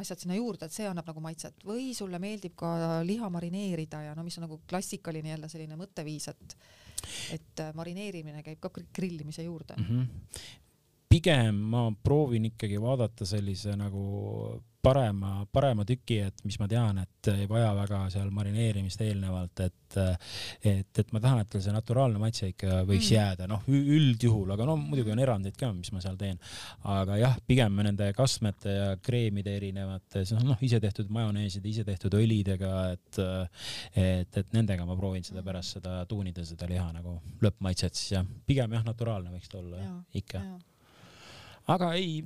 asjad sinna juurde, et see annab nagu maitset või sulle meeldib ka liha marineerida ja mis on nagu klassikaline jälle selline mõtteviis, et marineerimine käib ka grillimise juurde. Pigem ma proovin ikkagi vaadata sellise nagu parema tüki, et mis ma tean, et ei vaja väga seal marineerimist eelnevalt, et ma tahan, et see naturaalne maitse ikka võiks jääda, üldjuhul, aga muidugi on erandeid ka, mis ma seal teen. Aga jah, pigem nende kastmete ja kreemide erinevate, ise tehtud majoneeside, ise tehtud õlidega, et nendega ma proovin seda pärast seda tuunida seda liha nagu lõppmaitset, siis jah, pigem jah, naturaalne võiks olla ikka. Aga ei,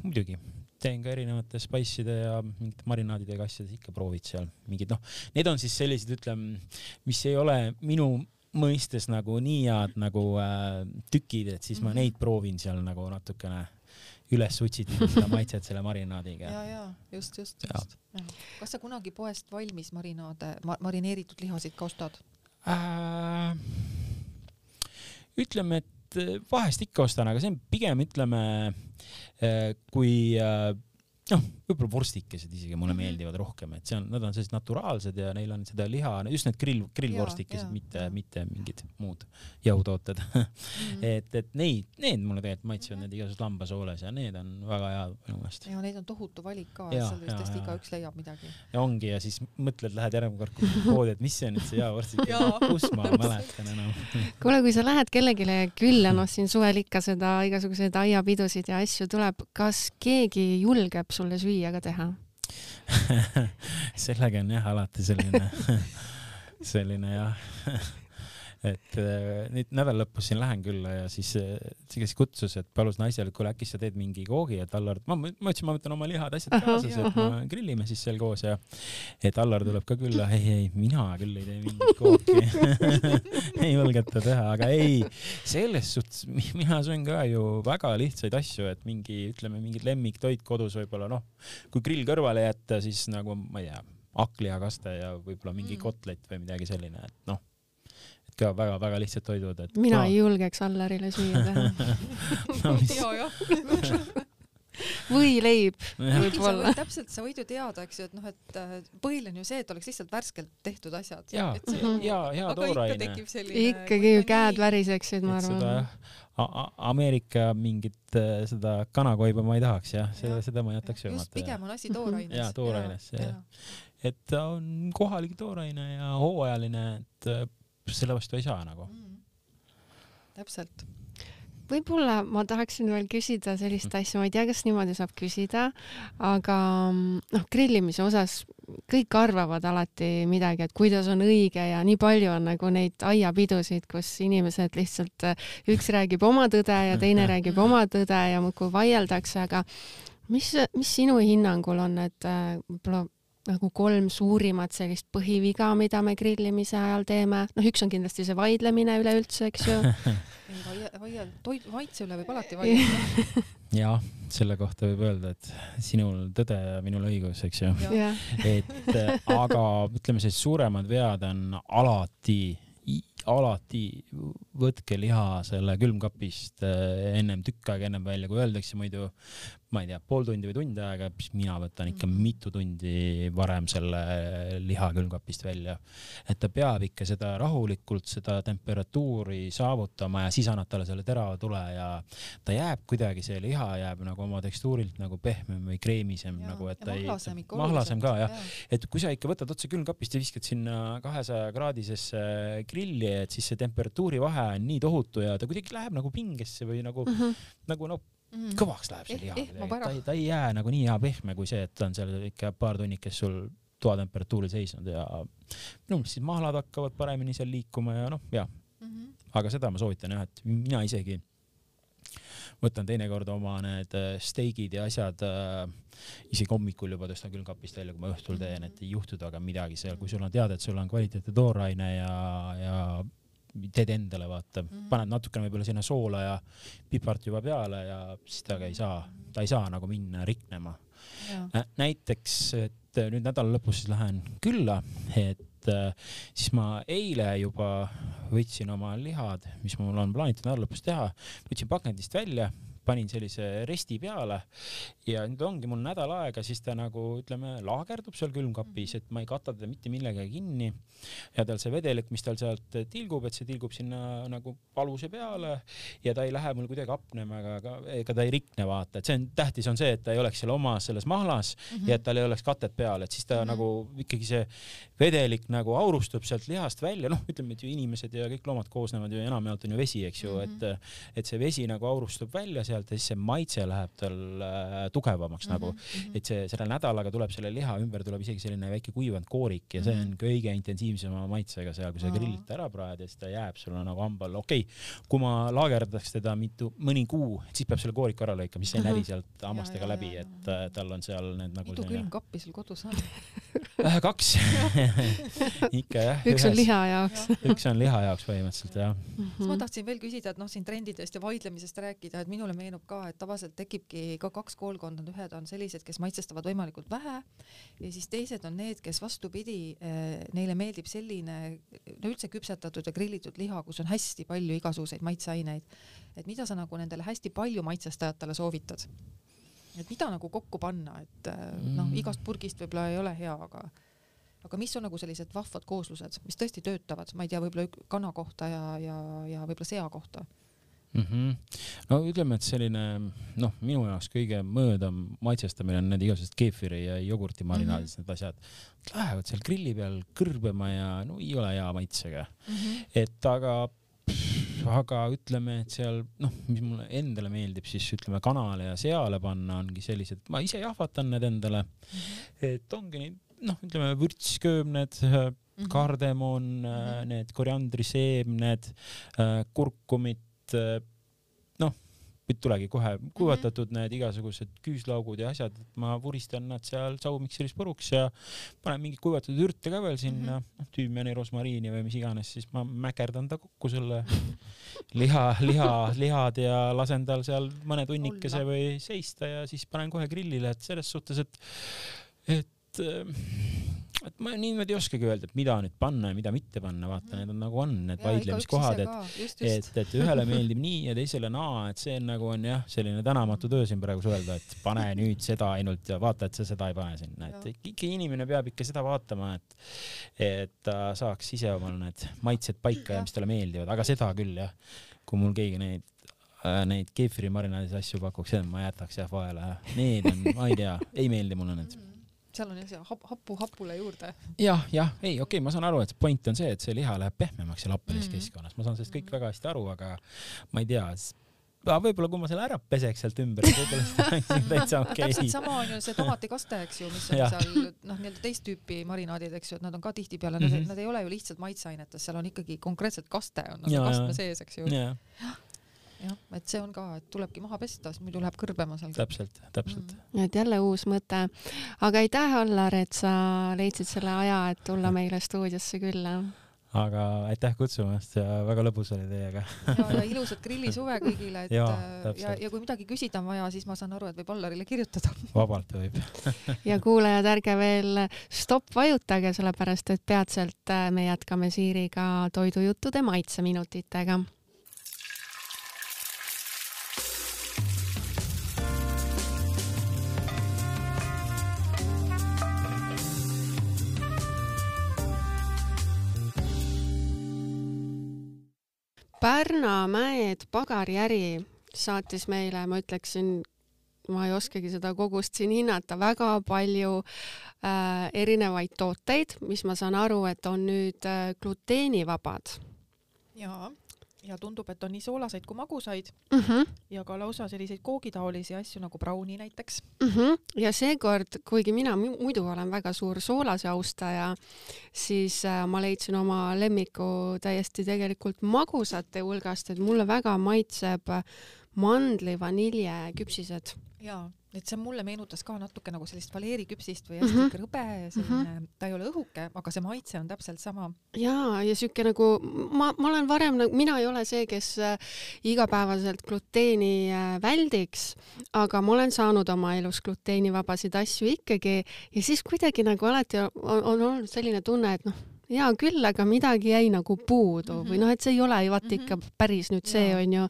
muidugi teen ka erinevate spice'ide ja mingite marinaadidega asjades ikka proovid seal mingid, need on siis sellised, ütleme, mis ei ole minu mõistes nagu nii head nagu tükid, et siis ma neid proovin seal nagu natukene üles utsitada seda maitset selle marinaadiga. Ja, just. Kas sa kunagi poest valmis marineeritud lihasid ka ostad? Ütleme, et vahest ikka ostan, aga see on pigem, ütleme, kui võib-olla vorstikesed isegi mulle meeldivad rohkem, et nad on sellised naturaalsed ja neil on seda liha, just need grillvorstikesed, mitte mingid muud jahutooted. et need mulle tegelikult maitsevad, need igasugused lambasooles ja need on väga head minu meelest. Ja neid on tohutu valik ka, seal vist tõesti igaüks leiab midagi. Ja ongi, ja siis mõtled, lähed järgmine kord poodi, et mis see on nüüd see jahvorstik, kus ma mäletan enam. Kuule, kui sa lähed kellegile külla, siin suvel ikka seda igasuguseid aiapidusid ja asju tuleb, kas keegi julgeb sulle süüa ka teha? Sellega on alati selline et nüüd nädal lõpus siin lähen külla ja siis kes kutsus, et palus naisele, et kuule äkki sa teed mingi koogi, et Allar, ma ütlesin, ma võtan oma lihad asjad kaasas, et ma grillime siis seal koos ja et Allar tuleb ka külla, ei, mina küll ei tee mingit kooki. Ei julgeta teha, aga ei, selles suhtes mina söön ka ju väga lihtsaid asju, et mingid lemmiktoit kodus võib-olla, kui grill kõrvale jätta, siis nagu, ma ei tea, hakkliakaste ja võib-olla mingi kotlet või midagi selline, et ka väga-väga lihtsad toidud. Mina ei julgeks Allarile süüa teha. Või leib võib-olla. Sa võid ju teada, eks ju, et põhiline on ju see, et oleks lihtsalt värskelt tehtud asjad. Ja tooraine. Ikkagi ju käed väriseksid, ma arvan. Ameerika mingit seda kanakoiba ma ei tahaks, seda ma jätaks söömata. Just pigem on asi tooraines. Ja tooraines. Et ta on kohalik tooraine ja hooajaline, et selle vastu ei saa nagu. Täpselt. Võib-olla ma tahaksin veel küsida sellist asja, ma ei tea, kas niimoodi saab küsida, aga grillimise osas kõik arvavad alati midagi, et kuidas on õige ja nii palju on nagu neid aiapidusid, kus inimesed lihtsalt üks räägib oma tõde ja teine räägib oma tõde ja muudkui vaieldakse, aga mis sinu hinnangul on need võib-olla nagu 3 suurimat sellist põhiviga, mida me grillimise ajal teeme? Üks on kindlasti see vaidlemine üleüldse, eks ju. Maitse üle võib alati vaielda. Ja, selle kohta võib öelda, et sinul tõde ja minul õigus, eks ju. Aga ütleme, see suuremad vead on alati võtke liha selle külmkapist tükk aega ennem välja, kui öeldakse muidu, ma ei tea, pool tundi või tund aega, siis mina võtan ikka mitu tundi varem selle liha külmkapist välja. Et ta peab ikka seda rahulikult, seda temperatuuri saavutama ja siis annad talle selle terava tule ja ta jääb kuidagi, see liha jääb nagu oma tekstuurilt nagu pehmem või kreemisem. Nagu, et mahlasem ka, jah. Et kui sa ikka võtad otse külmkapist ja viskad sinna 200 kraadisesse grilli, et siis see temperatuuri vahe on nii tohutu ja ta kuidagi läheb nagu pingesse või nagu kõvaks läheb see liha. Ta ei jää nagu nii hea pehme kui see, et ta on seal ikka paar tunnikest sul toatemperatuuri seisnud ja siis mahlad hakkavad paremini seal liikuma ja aga seda ma soovitan jah, et mina isegi võtan teinekord oma need steigid ja asjad isegi hommikul juba tõstan külmkapist välja, kui ma õhtul teen, et ei juhtuda aga midagi seal, kui sul on teada, et sul on kvaliteetne tooraine ja teed endale, vaata, paned natukene võib-olla sinna soola ja pipart juba peale ja siis ta ei saa nagu minna riknema. Näiteks, et nüüd nädala lõpus siis lähen külla, et siis ma eile juba võtsin oma lihad, mis mul on plaanitud nädala lõpus teha, võtsin pakendist välja, panin sellise resti peale ja nüüd ongi mul nädal aega, siis ta nagu, ütleme, laagerdub seal külmkapis, et ma ei kata teda mitte millegagi kinni ja tal see vedelik, mis tal sealt tilgub, et see tilgub sinna nagu paluse peale ja ta ei lähe mul kuidagi apnema, ega ta ei rikne, vaata, et see on tähtis on see, et ta ei oleks seal omas selles mahlas ja et tal ei oleks katet peal, et siis ta nagu ikkagi see vedelik nagu aurustub sealt lihast välja, ütleme, et ju inimesed ja kõik loomad koosnevad ju enamjaolt on ju vesi, eks ju, et see vesi nagu aurustub välja sealt ja siis see maitse läheb tal tugevamaks nagu, et selle nädalaga tuleb selle liha ümber tuleb isegi selline väike kuivanud koorik ja see on kõige intensiivsema maitsega seal, kui sa grillit ära praed ja siis ta jääb sulle nagu hambal. Okei, kui ma laagerdaks teda mõni kuu, siis peab selle kooriku ära lõikama, siis see näri sealt hammastega läbi, et tal on seal need nagu mitu külmkappi sul kodus on? 2 ikka jah. Üks on liha jaoks. Üks on liha jaoks põhimõtteliselt, jah. Ma tahtsin veel küsida, et siin trendidest ja vaidlemisest rääkida, et minule meenub ka, et tavaliselt tekibki ka 2 koolkonda, ühed on sellised, kes maitsestavad võimalikult vähe ja siis teised on need, kes vastupidi, neile meeldib selline üldse küpsetatud ja grillitud liha, kus on hästi palju igasuguseid maitseaineid. Et mida sa nagu nendele hästi palju maitsestajatele soovitad? et mida nagu kokku panna, et noh, igast purgist võib-olla ei ole hea, aga mis on nagu sellised vahvad kooslused, mis tõesti töötavad, ma ei tea, võib-olla kana kohta ja võib-olla sea kohta. No ütleme, et selline minu jaoks kõige mõõdam maitsestamine on need igasugused keefiri ja jogurti marinaadid, need asjad lähevad seal grilli peal kõrbema ja no ei ole hea maitsega. Et aga ütleme, et seal mis mulle endale meeldib, siis ütleme kanale ja seale panna ongi sellised, ma ise jahvatan need endale, et ongi neid ütleme vürtsköömned, kardemon, need koriandriseemned, kurkumid, tulegi kohe kuivatatud need igasugused küüslaugud ja asjad, et ma vuristan nad seal saumikseris puruks ja panen mingid kuivatatud ürte ka veel sinna, tüümiani, rosmariini või mis iganes, siis ma mäkerdan ta kokku selle lihad ja lasen tal seal mõne tunnikese või seista ja siis panen kohe grillile, et selles suhtes, et ma niimoodi ei oskagi öelda, et mida nüüd panna ja mida mitte panna, vaata, need on nagu need vaidlemiskohad, et ühele meeldib nii ja teisele naa, et see nagu on jah, selline tänamatu töö siin praegu suhelda, et pane nüüd seda ainult ja vaata, et sa seda ei pane sinna, et ikka inimene peab ikka seda vaatama, et ta saaks ise omal need maitsed paika ja mis talle meeldivad, aga seda küll jah, kui mul keegi neid keefiri marinaadis asju pakuks, ma jätaks jah vahele, need on, ma ei tea, ei meeldi mulle need. Seal on jah hapule juurde. Okei, ma saan aru, et point on see, et see liha läheb pehmemaks ja lappelis keskkonnas. Ma saan sellest kõik väga hästi aru, aga ma ei tea, võib-olla kui ma selle ära peseks sealt ümber, täitsa okei. Täpselt sama on ju see tomatikaste, eks ju, mis on seal nii-öelda teist tüüpi marinaadid, eks ju, et nad on ka tihti peale, nad ei ole ju lihtsalt maitseainetes, seal on ikkagi konkreetselt kaste on kastme sees, eks ju. Jah, et see on ka, et tulebki maha pesta, muidu läheb kõrbema seal. Täpselt. Et jälle uus mõte. Aga aitäh, Allar, et sa leidsid selle aja, et tulla meile stuudiosse külla. Aga aitäh kutsumast ja väga lõbus oli teiega. Ja ilusat grillisuve kõigile. Ja kui midagi küsida on vaja, siis ma saan aru, et võib Allarile kirjutada. Vabalt võib. Ja kuulajad, ärge veel stopp vajutage, sellepärast, et peatselt me jätkame Siiriga toidujuttude maitseminutitega. Pärnamäed pagariäri saatis meile, ma ütleksin, ma ei oskagi seda kogust siin hinnata, väga palju erinevaid tooteid, mis ma saan aru, et on nüüd gluteenivabad. Ja tundub, et on nii soolaseid kui magusaid ja ka lausa selliseid koogitaolisi asju nagu brauni näiteks. Ja seekord, kuigi mina muidu olen väga suur soolase austaja, siis ma leidsin oma lemmiku täiesti tegelikult magusate hulgast, et mulle väga maitseb mandli vanilje küpsised. Jaa, et see mulle meenutas ka natuke nagu sellist valeeriküpsist või hästi krõbe, selline, ta ei ole õhuke, aga see maitse on täpselt sama. Ja siuke nagu, ma olen varem, mina ei ole see, kes igapäevaselt gluteeni väldiks, aga ma olen saanud oma elus gluteenivabasid asju ikkagi ja siis kuidagi nagu alati on olnud selline tunne, et hea küll, aga midagi jäi nagu puudu või et see ei ole ju vaata ikka päris nüüd see on ju.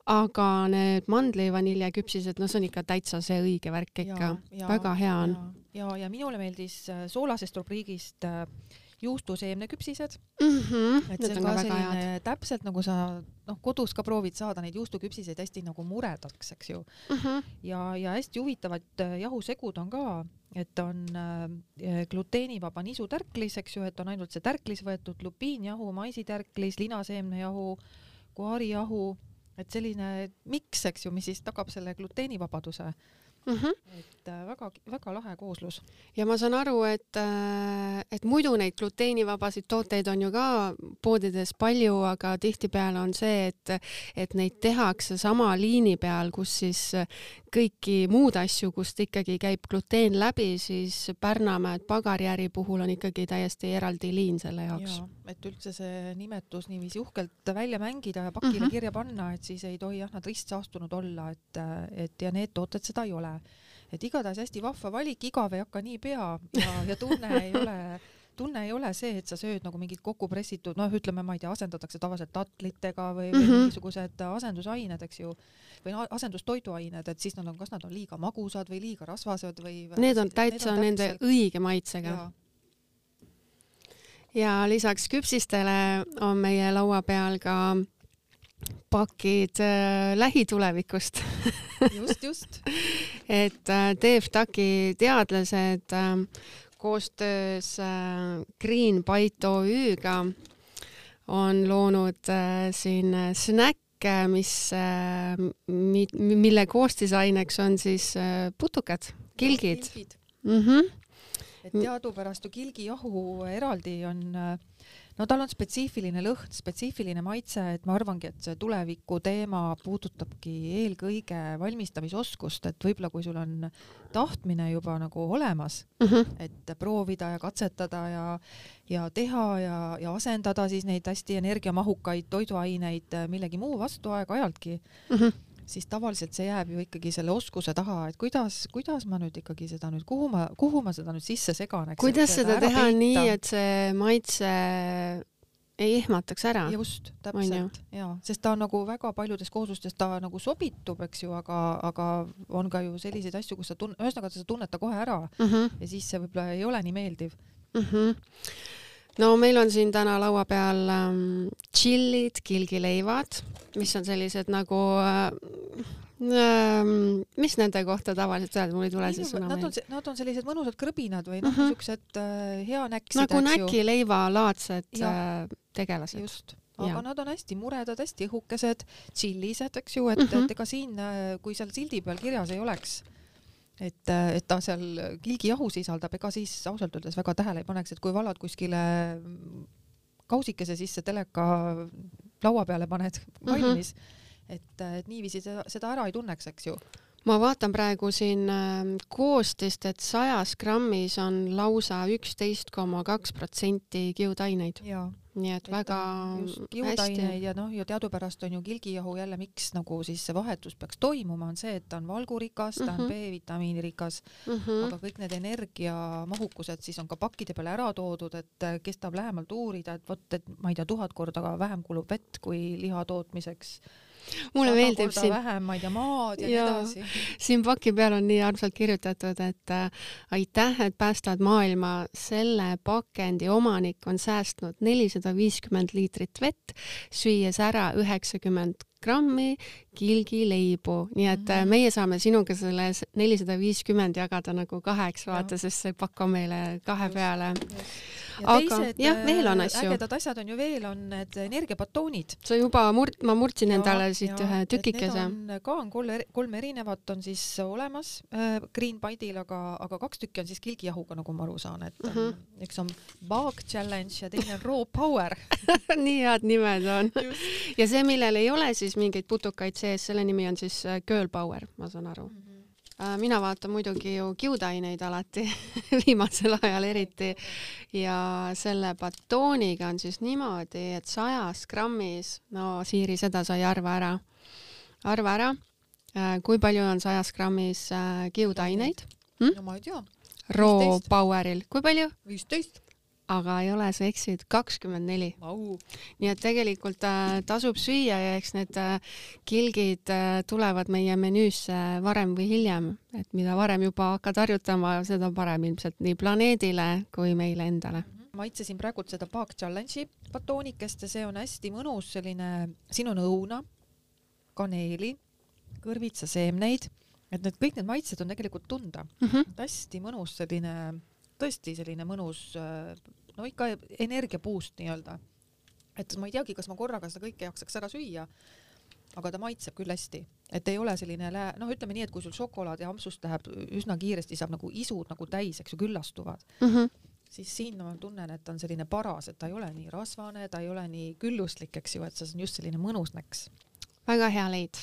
Aga need mandli vanilje küpsised, see on ikka täitsa see õige värk ikka. Väga hea on. Ja minule meeldis soolasest rubriigist juustuseemne küpsised. Et see on ka selline täpselt nagu sa kodus ka proovid saada neid juustuküpsiseid hästi nagu muredaks, eks ju. Ja hästi huvitavad jahusegud on ka, et on gluteenivaba nisutärklis, eks ju, et on ainult see tärklis võetud, lupiinjahu, maisitärklis, linaseemnejahu, guarijahu, et selline miks, eks ju, mis siis tagab selle gluteenivabaduse. Et väga lahe kooslus. Ja ma saan aru, et muidu neid gluteenivabasid tooteid on ju ka poodides palju, aga tihtipeale on see, et neid tehakse sama liini peal, kus siis kõiki muud asju, kust ikkagi käib gluteen läbi, siis Pärnamäed pagariäri puhul on ikkagi täiesti eraldi liin selle jaoks. Et üldse see nimetus niiviisi uhkelt välja mängida ja pakile kirja panna, et siis ei tohi nad ristsaastunud olla, et ja need tooted seda ei ole. Et igatahes hästi vahva valik, igav ei hakka nii pea ja tunne ei ole tunne ei ole see, et sa sööd nagu mingid kokkupressitud, noh, ütleme, ma ei tea, asendatakse tavaliselt tatlitega või mingisugused asendusained, eks ju, või asendustoiduained, et siis kas nad on liiga magusad või liiga rasvased või... Need on täitsa nende õige maitsega. Ja lisaks küpsistele on meie laua peal ka pakid lähitulevikust. Just. Et TFTAC-i teadlased koostöös Green Bite OÜ-ga on loonud siin snäkke, mille koostisaineks on siis putukad, kilgid. Et teadupärast ju kilgijahu eraldi on, no tal on spetsiifiline lõhn, spetsiifiline maitse, et ma arvangi, et see tuleviku teema puudutabki eelkõige valmistamisoskust, et võib-olla kui sul on tahtmine juba nagu olemas, et proovida ja katsetada ja teha ja asendada siis neid hästi energiamahukaid toiduaineid millegi muu vastu aeg-ajaltki, siis tavaliselt see jääb ju ikkagi selle oskuse taha, et kuidas ma nüüd ikkagi seda nüüd, kuhu ma seda nüüd sisse segan, eks. Kuidas seda teha nii, et see maitse ei ehmataks ära? Just, täpselt. Ja, sest ta on nagu väga paljudes kooslustes ta nagu sobitub, eks ju, aga on ka ju selliseid asju, kus ühesõnaga sa tunned ta kohe ära ja siis see võib-olla ei ole nii meeldiv. No meil on siin täna laua peal tšillid, kilgileivad, mis on sellised nagu, mis nende kohta tavaliselt öelda, mul ei tule see sõna meelde. Nad on sellised mõnusad krõbinad või niisugused hea näksid. Nagu näkileiva-laadsed tegelased. Just. Aga nad on hästi muredad, hästi õhukesed, tšillised, eks ju, et ega siin, kui seal sildi peal kirjas ei oleks, et ta seal kilgijahu sisaldab, ega siis ausalt öeldes väga tähele ei paneks, et kui valad kuskile kausikese sisse teleka laua peale paned valmis, et niiviisi seda ära ei tunneks, eks ju. Ma vaatan praegu siin koostist, et 100 grammis on lausa 11,2% kiudaineid. Nii et väga kiudaineid ja ja teadupärast on ju kilgijahu jälle, miks nagu siis see vahetus peaks toimuma, on see, et ta on valgurikas, ta on B-vitamiinirikas, aga kõik need energiamahukused siis on ka pakkide peale ära toodud, et kes tahab lähemalt uurida, et ma ei tea, 1000 korda vähem kulub vett kui liha tootmiseks. Mulle meeldib siin vähem, ma ei tea, maad ja nii edasi. Siin paki peal on nii armsalt kirjutatud, et aitäh, et päästad maailma. Selle pakendi omanik on säästnud 450 liitrit vett, süües ära 90 grammi kilgileibu. Nii et meie saame sinuga selle 450 jagada nagu 2, vaata, sest see pakk on meile 2 peale. Ja teised veel on asju. Ägedad asjad on ju veel, on need energiabatoonid. Sa juba ma murtsin endale siit ühe tükikese. Ka on 3 erinevat on siis olemas Green Bite'il, aga 2 tükki on siis kilgijahuga, nagu ma aru saan, et üks on Bug Challenge ja teine on Raw Power. Nii head nimed on. Ja see, millel ei ole siis mingeid putukaid sees, selle nimi on siis Girl Power, ma saan aru. Mina vaatan muidugi ju kiudaineid alati, viimasel ajal eriti, ja selle batooniga on siis niimoodi, et 100 grammis, no Siiri, seda sa ei arva ära, kui palju on 100 grammis kiudaineid? No ma ei tea. Raw Poweril, kui palju? 15. Aga ei ole, sa eksid, 24. Nii et tegelikult tasub süüa ja eks need kilgid tulevad meie menüüsse varem või hiljem, et mida varem juba hakkad harjutama, seda parem ilmselt nii planeedile kui meile endale. Maitsesin praegu seda Bug Challenge'i batoonikest ja see on hästi mõnus selline, siin on õuna, kaneeli, kõrvitsaseemneid, et kõik need maitsed on tegelikult tunda. Hästi mõnus selline, tõesti selline mõnus, no ikka energiapuust nii-öelda. Et ma ei teagi, kas ma korraga seda kõike jaksaks ära süüa, aga ta maitseb küll hästi. Et ei ole selline, ütleme nii, et kui sul šokolaad ja ampsust läheb üsna kiiresti, saab nagu isud nagu täis, eks ju, küllastuvad. Siis siin ma tunnen, et ta on selline paras, et ta ei ole nii rasvane, ta ei ole nii külluslik, eks ju, et see on just selline mõnus näks. Väga hea leid.